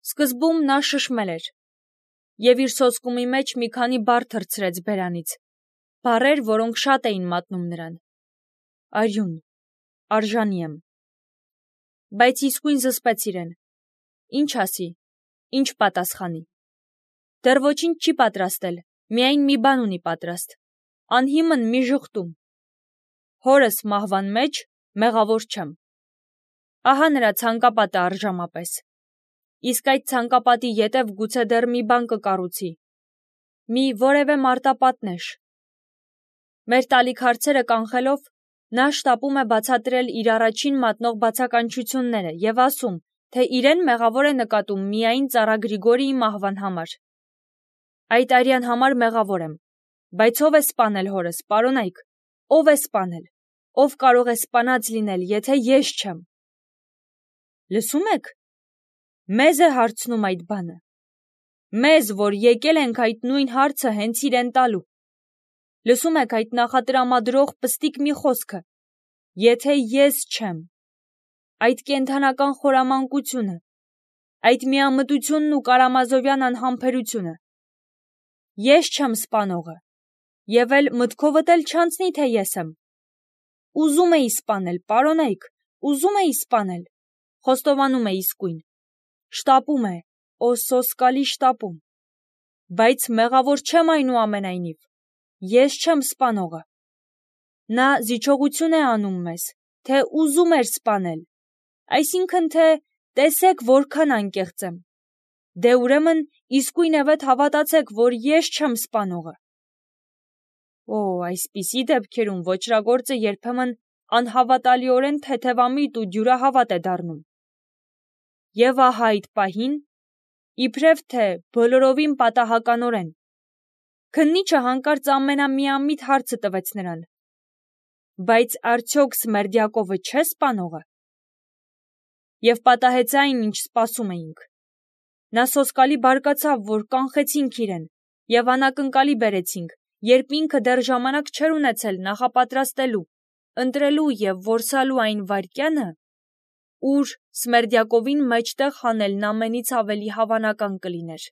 Սկզբում նա շշմել էր և իր սոսկումի մեջ մի քանի բառ թռցրեց բերանից, բառեր, որոնք շատ էին մատնում նրան. արյուն, արժանի եմ։ Բայց իսկույն զսպեց իրեն. ինչ ասի, ինչ պատասխանի։ Դեռ ոչինչ չի պատրաստել, միայն մի բան ունի պատրաստ, անհիմն մի ժխտում։ Հորս մահվան մեջ մեղավոր չեմ։ Ահա նրա ցանկապատը արժամապես։ Իսկ այդ ցանկապատի ետև գուցե դեռ մի բան կկառուցի, մի որևէ մարտապատնեշ։ Մեր տալիք հարցերը կանխելով, նա շտապում է բացատրել իր առաջին մատնող բացականչությունները և ասում, թե իրեն մեղավոր է նկատում միայն ծառա Գրիգորիի մահվան համար։ Այդ արյան համար մեղավոր եմ, բայց ով է սպանել հորս, պարոնայք, ով է սպանել, ով կարող է սպանած լինել, եթե ես չեմ։ Լսում եք, մեզ է հարցնում այդ բանը, մեզ, որ եկել ենք այդ նույն հարցը հենց իրեն տալու։ Լսում եք այդ նախատրամադրող պստիկ մի խոսքը, եթե ես չեմ, այդ կենդանական խորամանկությունը, այդ միամտությունն ու Կարամազովյան անհամբերությունը։ Ես չեմ սպանողը, և էլ մտքովդ էլ չանցնի, թե ես եմ։ Ուզում էի սպանել, պարոնայք, ուզում էի սպանել, խոստովանում է իսկույն, շտապում է, օ սոսկալի շտապում, բայց մեղավոր չեմ այնուամենայնիվ, ես չեմ սպանողը։ Նա զիջողություն է անում մեզ, թե ուզում էր սպանել, այսինքն թե տեսեք որքան անկեղծ եմ, դե ուրեմն իսկույնևեթ հավատացեք, որ ես չեմ սպանողը։ Օ, այսպիսի դեպքերում ոճրագործը երբեմն անհավատալիորեն թեթևամիտ ու դյուրահավատ է դառնում։ Եվ ահա այդ պահին, իբրև թե բոլորովին պատահականորեն, քննիչը հանկարծ ամենամիամիտ հարցը տվեց նրան. բայց արդյոք Սմերդյակովը չէ սպանողը։ Եվ պատահեց այն, ինչ սպասում էինք։ Նա սոսկալի բարկացավ, որ կանխեցինք իրեն, և անակնկալի բերեցինք, երբ ինքը դեռ ժամանակ չէր ունեցել նախապատրաստելու, ընտրելու և որսալու այն վայրկյանը, ուր Սմերդյակովին մեջտեղ հանելն ամենից ավելի հավանական կլիներ։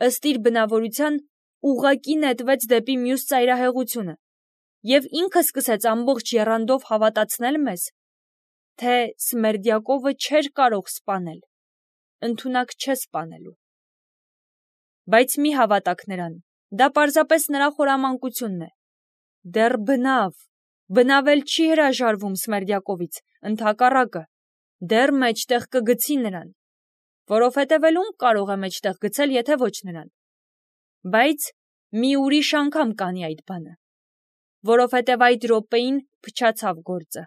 Ըստ իր բնավորության ուղղակի նետվեց դեպի մյուս ծայրահեղությունը, և ինքը սկսեց ամբողջ եռանդով հավատացնել մեզ, թե Սմերդյակովը չէր կարող սպանել, ընդունակ չէ սպանելու։ Բայց մի հավատաք նրան, դա պարզապես նրա խորամանկությունն է։ Դեռ բնավ էլ չի հրաժարվում Սմերդյակովից, ընդհակառակը, դեռ մեջտեղ կգցի նրան, որովհետև էլ ում կարող է մեջտեղ գցել, եթե ոչ նրան։ Բայց մի ուրիշ անգամ կանի այդ բանը, որովհետև այդ րոպեին փչացավ գործը։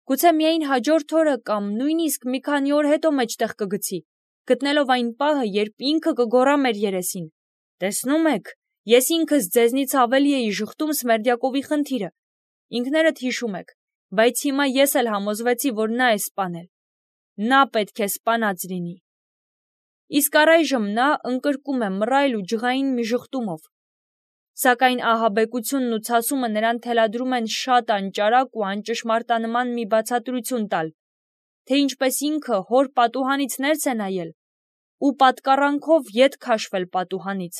Գուցե միայն հաջորդ օրը կամ նույնիսկ մի քանի օր հետո մեջտեղ կգցի, գտնելով այն պահը, երբ ինքը կգոռա մեր երեսին. տեսնում եք, ես ինքս ձեզնից ավելի էի ժխտում Սմերդյակովի խնդիրը, ինքներդ հիշում եք, բայց հիմա ես էլ համոզվեցի, որ նա է սպանել, նա պետք է սպանած լինի։ Իսկ առայժմ նա ընկրկում է մռայլ ու ջղային մի ժխտումով, սակայն ահաբեկությունն ու ցասումը նրան թելադրում են շատ անճարակ ու անճշմարտանման մի բացատրություն տալ, թե ինչպես ինքը հոր պատուհանից ներս է նայել ու պատկառանքով ետ քաշվել պատուհանից։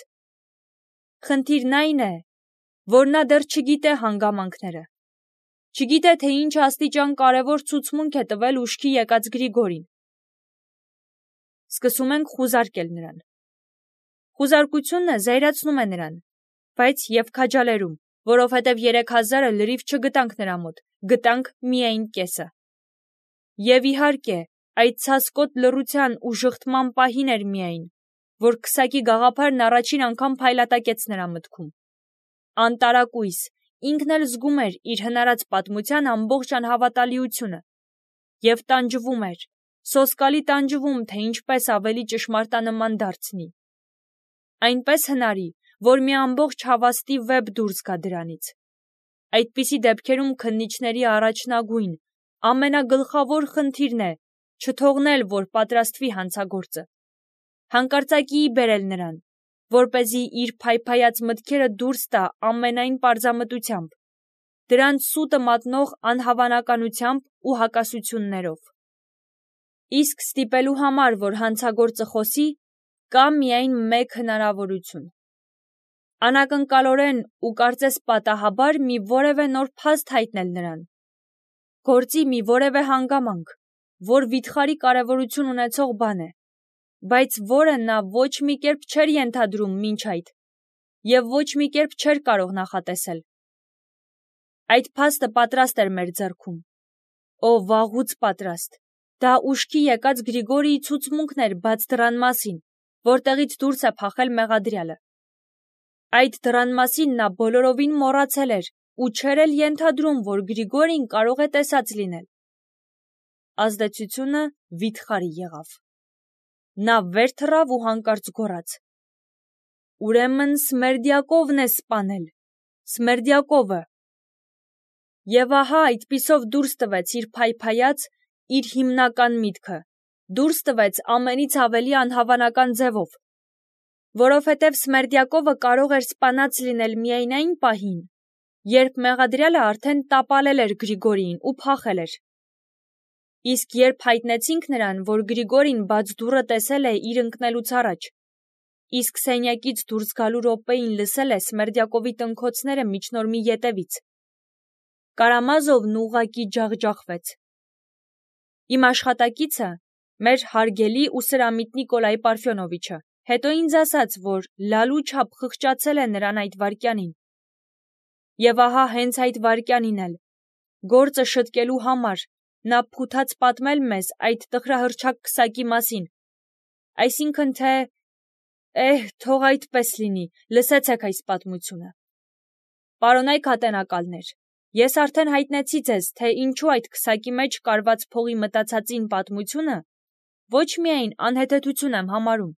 Խնդիրն այն է, որ նա դեռ չգիտե հանգամանքները, չգիտե, թե ինչ աստիճան կարևոր ցուցմունք է տվել ուշքի եկած Գրիգորին։ Սկսում ենք խուզարկել նրան։ Խուզարկությունը զայրացնում է նրան, բայց և քաջալերում, որովհետև 3000-ը լրիվ չգտանք նրա մոտ, գտանք միայն կեսը։ Եվ իհարկե, այդ ցասկոտ լռության ու ժխտման պահին էր միայն, որ քսակի գաղափարն առաջին անգամ փայլատակեց նրա մտքում։ Անտարակույս, ինքն էլ զգում էր իր հնարած պատմության ամբողջ անհավատալիությունը և տանջվում էր, սոսկալի տանջվում, թե ինչպես ավելի ճշմարտանման դարձնի։ Այնպես հնարի, որ մի ամբողջ հավաստի վեպ դուրս գա դրանից։ Այդպիսի դեպքերում քննիչների առաջնագույն, ամենագլխավոր խնդիրն է չթողնել, որ պատրաստվի հանցագործը, հանկարծակիի բերել նրան, որպեսզի իր փայփայած մտքերը դուրս տա ամենայն պարզամտությամբ, դրանց սուտը մատնող անհավանականությամբ ու հակասություններով։ Իսկ ստիպելու համար, որ հանցագործը խոսի, կա միայն մեկ հնարավորություն. անակնկալորեն ու կարծես պատահաբար մի որևէ նոր փաստ հայտնել նրան, գործի մի որևէ հանգամանք, որ վիթխարի կարևորություն ունեցող բան է, բայց որը նա ոչ մի կերպ չէր ենթադրում մինչ այդ և ոչ մի կերպ չէր կարող նախատեսել։ Այդ փաստը պատրաստ էր մեր ձեռքում, վաղուց պատրաստ։ Դա ուշքի եկած Գրիգորիի ցուցմունքն էր բաց դռան մասին, որտեղից դուրս է փախել մեղադրյալը։ Այդ դռան մասին նա բոլորովին մոռացել էր ու չէր էլ ենթադրում, որ Գրիգորին կարող է տեսած լինել։ Ազդեցությունը վիթխարի եղավ։ Նա վեր թռավ ու հանկարծ գոռաց. «Ուրեմն Սմերդյակովն է սպանել, Սմերդյակովը»։ Եվ ահա այդպիսով դուրս տվեց իր փայփայած, իր հիմնական միտքը, դուրս տվեց ամենից ավելի անհավանական ձևով, որովհետև Սմերդյակովը կարող էր սպանած լինել միայն այն պահին, երբ մեղադրյալը արդեն տապալել էր Գրիգորիին ու փախել էր։ Իսկ երբ հայտնեցինք նրան, որ Գրիգորին բաց դուռը տեսել է իր ընկնելուց առաջ, իսկ սենյակից դուրս գալու րոպեին լսել է Սմերդյակովի տնքոցները միջնորմի ետևից, Կարամազովն ուղղակի ջախջախվեց։ Իմ աշխատակիցը, մեր հարգելի ու սրամիտ Նիկոլայ Պարֆյոնովիչը, հետո ինձ ասաց, որ լալու չափ խղճացել է նրան այդ վայրկյանին։ Եվ ահա հենց այդ վայրկյանին էլ, գործը շտկելու համար, նա փութաց պատմել մեզ այդ տխրահռչակ քսակի մասին, այսինքն թե, թող այդպես լինի, լսեցեք այս պատմությունը։ Պարոնայք ատենակալներ, ես արդեն հայտնեցի ձեզ, թե ինչու այդ քսակի մեջ կարված փողի մտածածին պատմությունը ոչ միայն անհեթեթություն եմ համարում,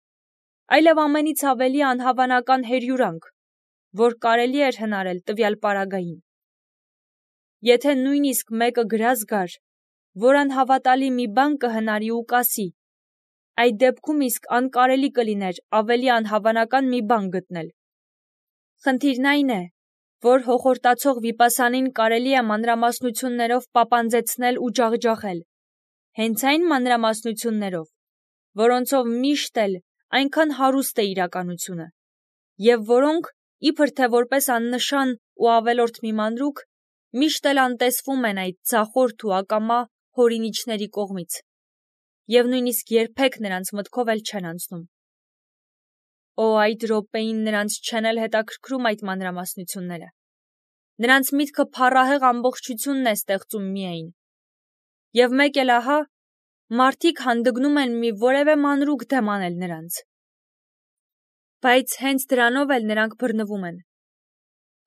այլև ամենից ավելի անհավանական հերյուրանք, որ կարելի էր հնարել տվյալ պարագային։ Եթե նույնիսկ մեկը գրած գար, որ անհավատալի մի բան կհնարի ու կասի, այդ դեպքում իսկ անկարելի կլիներ ավելի անհավանական մի բան գտնել։ Խնդիրն այն է, որ հոխորտացող վիպասանին կարելի է մանրամասնություններով պապանձեցնել ու ջախջախել, հենց այն մանրամասնություններով, որոնցով միշտ էլ այնքան հարուստ է իրականությունը, և որոնք, իբր թե որպես աննշան ու ավելորդ մի մանրուք, միշտ էլ անտեսվում են այդ ձախորդ ու ակամա հորինիչների կողմից, և նույնիսկ երբեք նրանց մտքով էլ չեն անցնում։ Այդ րոպեին նրանց չեն էլ հետաքրքրում այդ մանրամասնությունները։ Նրանց միտքը փառահեղ ամբողջությունն է ստեղծում միայն։ Եվ մեկ էլ ահա, մարդիկ հանդգնում են մի որևէ մանրուք դեմ անել նրանց։ Բայց հենց դրանով էլ նրանք բռնվում են։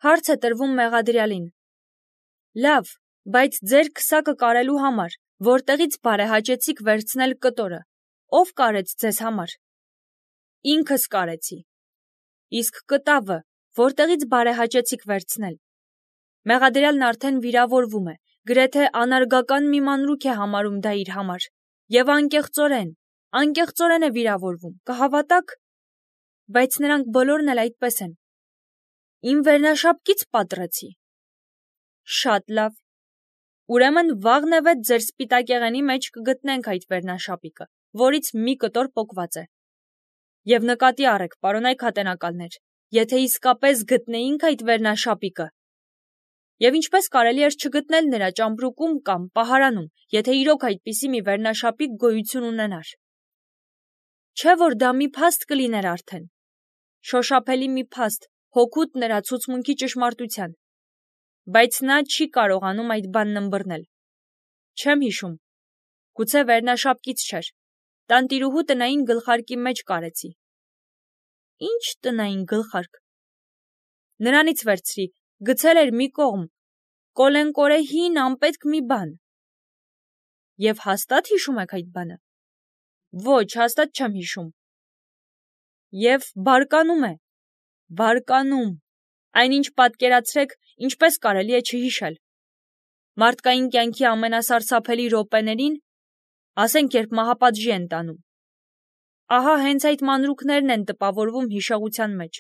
Հարց է տրվում մեղադրյալին. լավ, բայց ձեր քսակը կարելու համար, որտեղից բարեհաճեցիք վերցնել կտորը, ով կարեց ձեզ համար։ Ինքս կարեցի։ Իսկ կտավը որտեղից բարեհաճեցիք վերցնել։ Մեղադրյալն արդեն վիրավորվում է, գրեթե անարգական մի մանրուք է համարում դա իր համար, և անկեղծորեն է վիրավորվում, կհավատաք, բայց նրանք բոլորն էլ այդպես են։ Իմ վերնաշապկից պատռեցի։ Շատ լավ։ Ուրեմն վաղն ձեր սպիտակեղենի մեջ կգտնենք այդ վերնաշապիկը, որից մի կտոր պոկված է։ Եվ նկատի առեք, պարոնայք ատենակալներ, եթե իսկապես գտնեինք այդ վերնաշապիկը, և ինչպես կարելի էր չգտնել նրա ճամպրուկում կամ պահարանում, եթե իրոք այդպիսի մի վերնաշապիկ գոյություն ունենար։ Չէ՞ որ դա մի փաստ կլիներ արդեն, շոշափելի մի փաստ, հօգուտ նրա ցուցմունքի ճշմարտության, բայց նա չի կարողանում այդ բանն ըմբռնել։ Չեմ հիշում, գուցե վերնաշապկից չէր, տանտիրուհու տնային գլխարկի մեջ կարեցի։ Ինչ տնային գլխարկ։ Նրանից վերցրի, գցել էր մի կողմ, կոլենկորե հին անպետք մի բան։ Եվ հաստատ հիշում եք այդ բանը։ Ոչ, հաստատ չեմ հիշում։ Եվ բարկանում է։ Բարկանում։ Այնինչ պատկերացրեք, ինչպես կարելի է չհիշել։ Մարդկային կյանքի ամենասարսափելի րոպեներին, ասենք երբ մահապատժի են տանում, ահա հենց այդ մանրուքներն են տպավորվում հիշողության մեջ։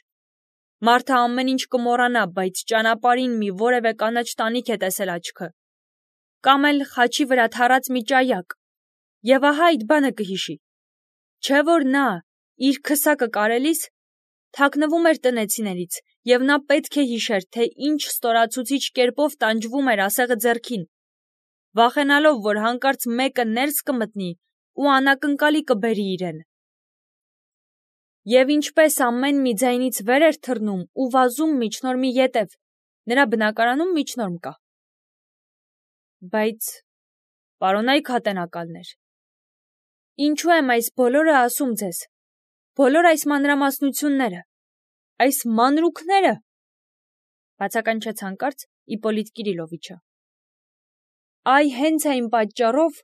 Մարդը ամեն ինչ կմոռանա, բայց ճանապարհին մի որևէ կանաչ տանիք է տեսել աչքը, կամ էլ խաչի վրա թառած մի ճայակ, Եվ ահա այդ բանը կհիշի, չէ որ նա իր քսակը կարելիս թաքնվում էր տնեցիներից, և նա պետք է հիշեր, թե ինչ ստորացուցիչ կերպով տանջվում էր ասեղը ձեռքին, վախենալով, որ հանկարծ մեկը ներս կմտնի ու անակնկալի կբերի իրեն։ Եվ ինչպես ամեն մի ձայնից վեր էր թռնում ու վազում միջնորմի ետև, նրա բնակարանում միջնորմ կա։ Բայց, պարոնայք հատենակալներ, ինչու եմ այս բոլորը ասում ձեզ, բոլոր այս մանրամասնությունները, այս մանրուքները, բացականչեց հանկարծ Իպոլիտ Կիրիլովիչը։ Այ հենց այն պատճառով,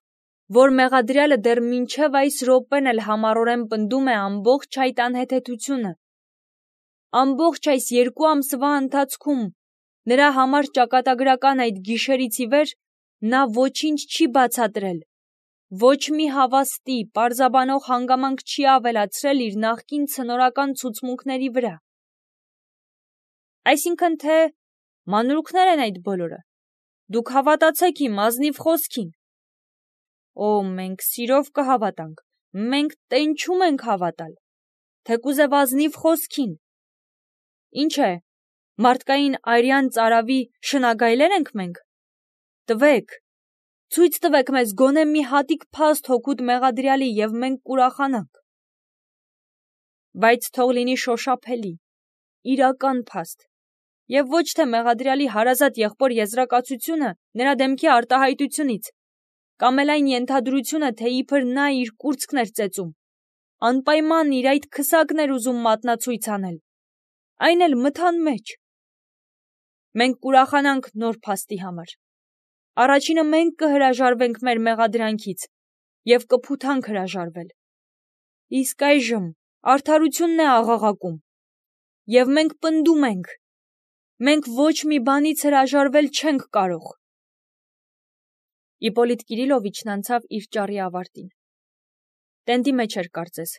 որ մեղադրյալը դեռ մինչև այս րոպեն էլ համառորեն պնդում է ամբողջ այդ անհեթեթությունը, ամբողջ այս 2 ամսվա ընթացքում նրա համար ճակատագրական այդ գիշերից ի վեր նա ոչինչ չի բացատրել, ոչ մի հավաստի, պարզաբանող հանգամանք չի ավելացրել իր նախկին ցնորական ցուցմունքների վրա։ Այսինքն թե մանրուքներ են այդ բոլորը, դուք հավատացեք իմ ազնիվ խոսքին։ Օ, մենք սիրով կհավատանք, մենք տենչում ենք հավատալ, թեկուզև ազնիվ խոսքին։ Ինչ է, մարդկային արյան ծարավի շնագայլե՞ր ենք մենք։ Տվեք, ցույց տվեք մեզ գոնե մի հատիկ փաստ հօգուտ մեղադրյալի, և մենք կուրախանանք։ Բայց թող լինի շոշափելի, իրական փաստ, և ոչ թե մեղադրյալի հարազատ եղբոր եզրակացությունը նրա դեմքի արտահայտությունից, կամ էլ այն ենթադրությունը, թե իբր նա իր կուրծքն էր ծեծում, անպայման իր այդ քսակն էր ուզում մատնացույց անել, այն էլ մթան մեջ։ Մենք կուրախանանք նոր փաստի համար։ Առաջինը մենք կհրաժարվենք մեր մեղադրանքից և կփութանք հրաժարվել։ Իսկ այժմ արդարությունն է աղաղակում, և մենք պնդում ենք, մենք ոչ մի բանից հրաժարվել չենք կարող։ Իպոլիտ Կիրիլովիչն անցավ իր ճառի ավարտին։ Տենդի մեջ էր կարծես,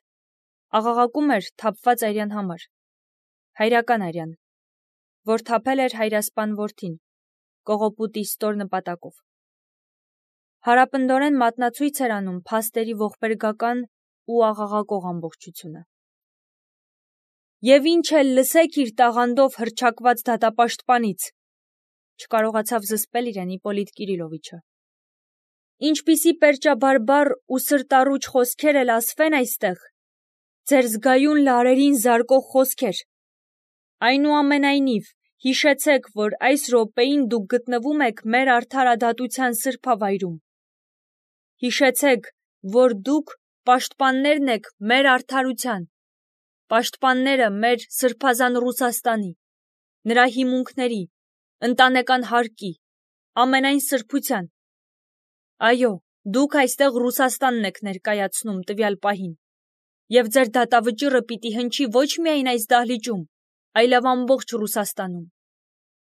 աղաղակում էր թափված արյան համար, հայրական արյան, որ թափել էր հայրասպան որդին, կողոպուտի ստոր նպատակով։ Հարապնդորեն մատնացույց էր անում փաստերի ողբերգական ու աղաղակող ամբողջությունը։ Եվ ինչ էլ լսեք իր տաղանդով հռչակված դատապաշտպանից, չկարողացավ զսպել իրեն Իպոլիտ Կիրիլովիչը։ Ինչպիսի պերճաբարբար ու սրտառուչ խոսքեր էլ ասվեն այստեղ, ձեր զգայուն լարերին զարկող խոսքեր։ Այնուամենայնիվ, հիշեցեք, որ այս րոպեին դուք գտնվում եք մեր արդարադատության սրբավայրում։ Հիշեցեք, որ դուք պաշտպաններն եք մեր արդարության, պաշտպանները մեր սրբազան Ռուսաստանի, նրա հիմունքների, ընտանեկան հարկի, ամենայն սրբության։ Այո, դուք այստեղ Ռուսաստանն եք ներկայացնում տվյալ պահին, և ձեր դատավճիռը պիտի հնչի ոչ միայն այս դահլիճում, այլև ամբողջ Ռուսաստանում,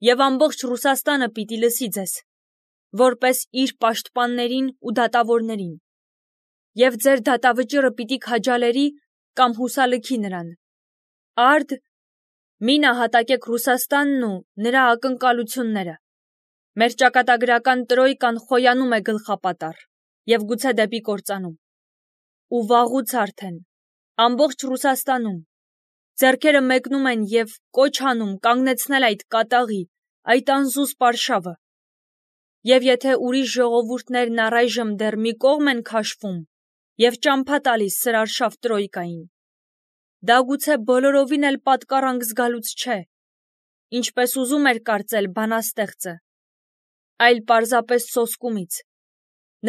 և ամբողջ Ռուսաստանը պիտի լսի ձեզ, որպես իր պաշտպաններին ու դատավորներին, և ձեր դատավճիռը պիտի քաջալերի կամ հուսալքի նրան։ Արդ, մի նահատակեք Ռուսաստանն ու նրա ակնկալությունները։ Մեր ճակատագրական տրոյկան խոյանում է գլխապատառ և գուցե դեպի կործանում։ Ու վաղուց արդեն, ամբողջ Ռուսաստանում, ձեռքերը մեկնում են և կոչ անում կանգնեցնել այդ կատաղի, այդ անզուսպ արշավը։ Եվ եթե ուրիշ ժողովուրդներն առայժմ դեռ մի կողմ են քաշվում և ճամփա տալիս սրարշավ տրոյկային, դա գուցե բոլորովին էլ պատկառանք զգալուց չէ, ինչպես ուզում էր կարծել բանաստեղծը, այլ պարզապես սոսկումից։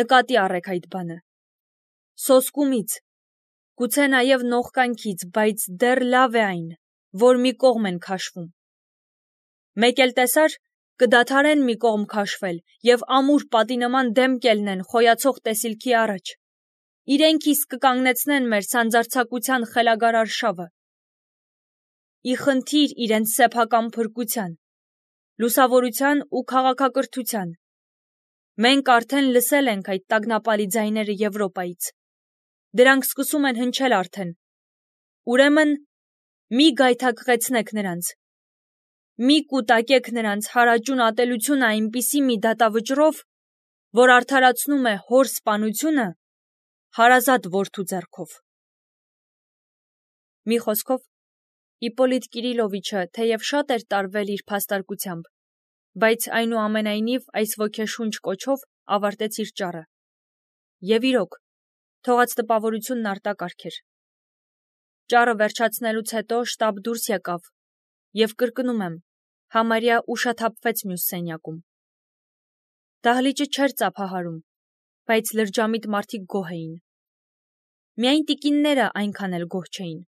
Նկատի առեք այդ բանը։ Սոսկումից, գուցե նաև նողկանքից, բայց դեռ լավ է այն, որ մի կողմ են քաշվում։ Մեկ էլ տեսար, կդադարեն մի կողմ քաշվել և ամուր պատի նման դեմ կելնեն խոյացող տեսիլքի առաջ։ Իրենք իսկ կկանգնեցնեն մեր սանձարձակության խելագար արշավը։ Ի խնդիր իրենց սեփական փրկության, լուսավորության ու քաղաքակրթության։ Մենք արդեն լսել ենք այդ տագնապալի ձայները Եվրոպայից։ Դրանք սկսում են հնչել արդեն։ Ուրեմն մի գայթակղեցնեք նրանց։ Մի կուտակեք նրանց հարաճուն ատելությունը այնպիսի մի դատավճռով, որ արդարացնում է հոր սպանությունը հարազատ որդու ձեռքով։ Մի խոսքով, Իպոլիտ Կիրիլովիչը թեև շատ էր տարվել իր փաստարկությամբ, բայց այնուամենայնիվ այս ոգեշունչ կոչով ավարտեց իր ճառը։ Եվ իրոք, թողած տպավորությունն արտակարգ էր։ Ճառը վերջացնելուց հետո շտապ դուրս եկավ, և կրկնում եմ, համարյա ուշաթափվեց մյուս սենյակում։ Դահլիճը չէր ծափահարում, բայց լրջամիտ մարդիկ գոհ էին։ Միայն տիկինները այնքան էլ գոհ չէին,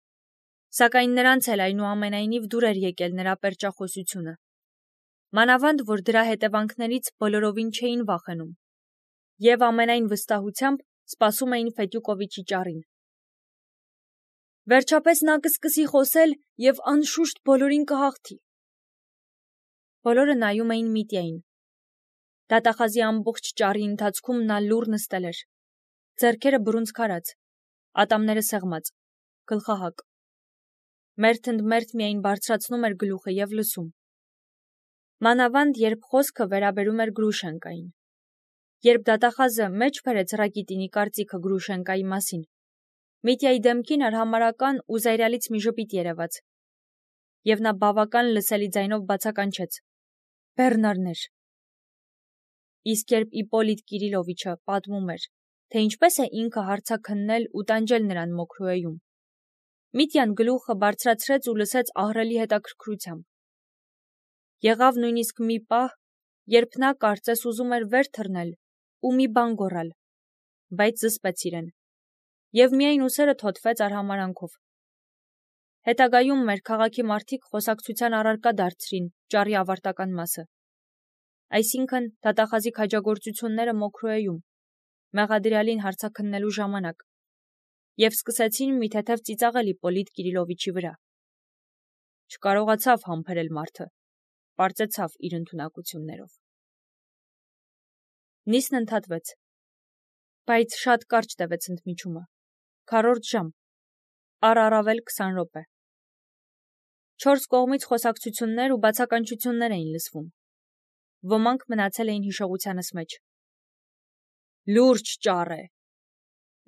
սակայն նրանց էլ այնուամենայնիվ դուր էր եկել նրա պերճախոսությունը։ Մանավանդ, որ դրա հետևանքներից բոլորովին չէին վախենում, և ամենայն վստահությամբ սպասում էին Ֆետյուկովիչի ճառին։ Վերջապես նա կսկսի խոսել և անշուշտ բոլորին կհաղթի։ Բոլորը նայում էին Միտյային։ Դատախազի ամբողջ ճառի ընթացքում նա լուռ նստել էր, ձեռքերը բռունցքարած, ատամները սեղմած, գլխահակ։ Մերթ ընդ մերթ միայն բարձրացնում էր գլուխը և լսում։ Մանավանդ, երբ խոսքը վերաբերում էր Գրուշենկային։ Երբ դատախազը մեջ բերեց Ռակիտինի կարծիքը Գրուշենկայի մասին, Միտյայի դեմքին արհամարհական ու զայրալից մի ժպիտ երևաց, և նա բավական լսելի ձայնով բացականչեց. «Բեռնարներ»։ Իսկ երբ Իպոլիտ Կիրիլովիչը պատմում էր, թե ինչպես է ինքը հարցաքննել ու տանջել նրան Մոքրոեում, Միտյան գլուխը բարձրացրեց ու լսեց ահռելի հետաքրքրությամբ։ Եղավ նույնիսկ մի պահ, երբ նա կարծես ուզում էր վեր թռնել ու մի բան գոռալ, բայց զսպեց իրեն, և միայն ուսերը թոթվեց արհամարհանքով։ Հետագայում մեր քաղաքի մարդիկ խոսակցության առարկա դարձրին ճառի ավարտական մասը, այսինքն դատախազի քաջագործությունները Մոքրոեում, մեղադրյալին հարցաքննելու ժամանակ, և սկսեցին մի թեթև ծիծաղել Իպոլիտ Կիրիլովիչի վրա։ Չկարողացավ համբերել մարդը, պարծեցավ իր ընդունակություններով։ Նիստն ընդհատվեց, բայց շատ կարճ տևեց ընդմիջումը, քառորդ ժամ, առավել 20 րոպե։ 4 կողմից խոսակցություններ ու բացականչություններ էին լսվում։ Ոմանք մնացել էին հիշողությանս մեջ։ «Լուրջ ճառ է»,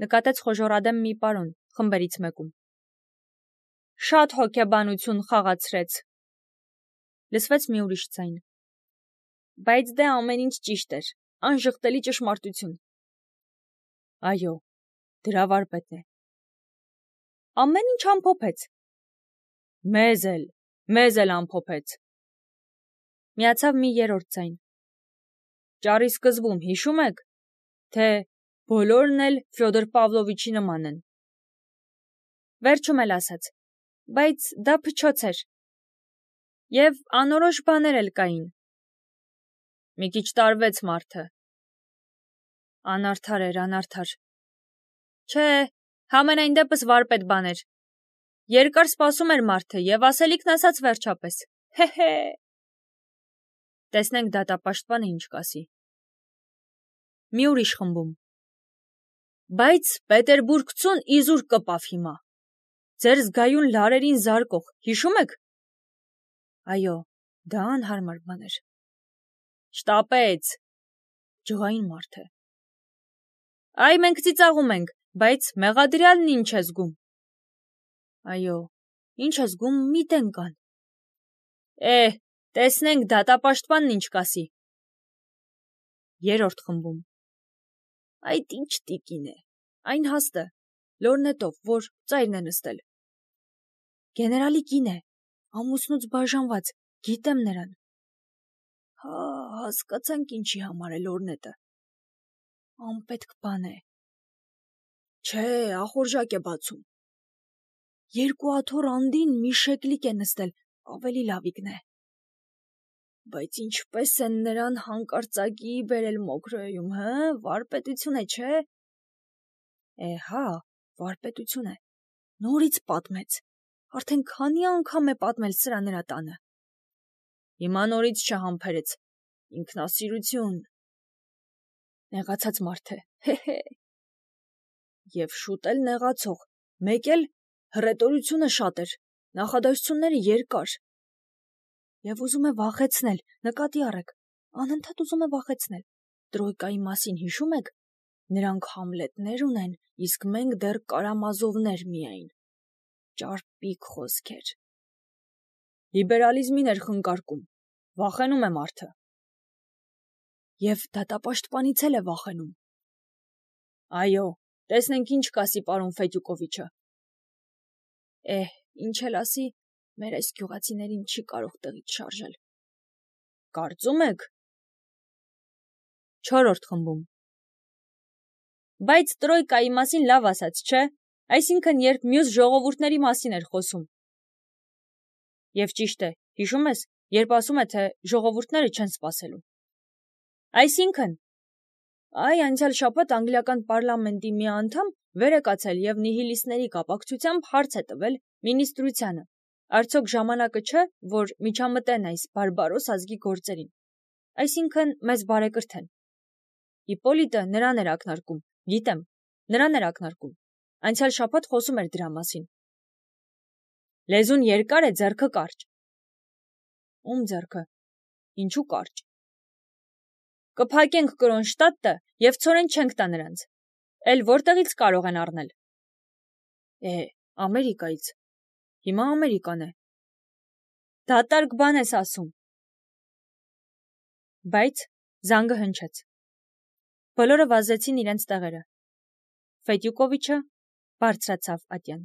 նկատեց խոժոռադեմ մի պարոն խմբերից մեկում։ «Շատ հոգեբանություն խաղացրեց», լսվեց մի ուրիշ ձայն։ «Բայց դե ամեն ինչ ճիշտ էր, անժխտելի ճշմարտություն»։ «Այո, դրա վարպետն է»։ «Ամեն ինչ ամփոփեց»։ Մեզ էլ ամփոփեց»։ Միացավ մի երրորդ ձայն։ «Ճառի սկզբում հիշում եք, թե բոլորն էլ Ֆյոդոր Պավլովիչի նման են»։ Վերջում էլ ասաց. «Բայց դա փչոց էր։ Եվ անորոշ բաներ էլ կային»։ «Մի քիչ տարվեց մարդը»։ Անարդար էր, անարդար։ Չէ, համենայն դեպս վարպետ բան էր։ Երկար սպասում էր մարդը և ասելիքն ասաց վերջապես։ Հե։ Տեսնենք դատապաշտպանը ինչ կասի։ Մի ուրիշ խմբում. «Բայց Պետերբուրգցուն իզուր կպավ հիմա։ Ձեր զգայուն լարերին զարկող, հիշում եք»։ «Այո, դա անհարմար բան էր»։ «Շտապեց», ջղային մարդ է։ «Այ մենք ծիծաղում ենք, բայց մեղադրյալն ինչ է զգում»։ «Այո, ինչ է զգում, մի տեն կան»։ Տեսնենք դատապաշտպանն ինչ կասի։ Երրորդ խմբում. «Այդ ինչ տիկին է, այն հաստը, լորնետով, որ ծայրն է նստել»։ «Գեներալի կին է, ամուսնուց բաժանված, գիտեմ նրան»։ Հասկացանք ինչի համար է լորնետը։ Անպետք բան է։ Չէ, ախորժակ է բացում։ 2 աթոռ անդին մի շեկլիկ է նստել, ավելի լավիկն է։ Բայց ինչպես են նրան հանկարծակիի բերել Մոքրոեում, վարպետություն է, չէ։ Հա, վարպետություն է։ Նորից պատմեց։ Արդեն քանի անգամ է պատմել սրա նրա տանը։ Հիմա նորից չհամբերեց։ Ինքնասիրություն։ Նեղացած մարդ է։ Հե։ Եվ շուտ էլ նեղացող, մեկ էլ հռետորությունը շատ էր, նախադասությունները երկար։ Եվ ուզում է վախեցնել, նկատի առեք, անընդհատ ուզում է վախեցնել։ Տրոյկայի մասին հիշում եք։ Նրանք Համլետներ ունեն, իսկ մենք դեռ Կարամազովներ միայն։ Ճարպիկ խոսքեր։ Լիբերալիզմին էր խնկարկում, վախենում է մարդը։ Եվ դատապաշտպանից էլ է վախենում։ Այո, տեսնենք ինչ կասի պարոն Ֆետյուկովիչը։ Ինչ էլ ասի, մեր այս գյուղացիներին չի կարող տեղից շարժել։ Կարծում եք։ 4-րդ խմբում։ Բայց Տրոյկայի մասին լավ ասաց, չէ՞, այսինքն երբ մյուս ժողովուրդների մասին էր խոսում։ Եվ ճիշտ է, հիշում ես, երբ ասում է, թե ժողովուրդները չեն սպասելու։ Այսինքն, անցյալ շաբաթ անգլիական պարլամենտի մի անդամ վեր է կացել եւ նիհիլիստների կապակցությամբ հարց է տվել մինիստրությանը։ Արդյոք ժամանակը չէ, որ միջամտեն այս բարբարոս ազգի գործերին։ Այսինքն մեզ բարեկրթեն։ Իպոլիտը նրան էր ակնարկում, գիտեմ, նրան էր ակնարկում։ Անցյալ շաբաթ խոսում էր դրա մասին։ Լեզուն երկար է, ձեռքը կարճ։ Ում ձեռքը։ Ինչու կարճ։ Կփակենք Կրոնշտադտը եւ ցորեն չենք տա նրանց։ Էլ որտեղից կարող են առնել։ Ամերիկայից։ Հիմա Ամերիկան է։ Դատարկ բան ես ասում։ Բայց զանգը հնչեց։ Բոլորը վազեցին իրենց տեղերը։ Ֆետյուկովիչը բարձրացավ ատյան։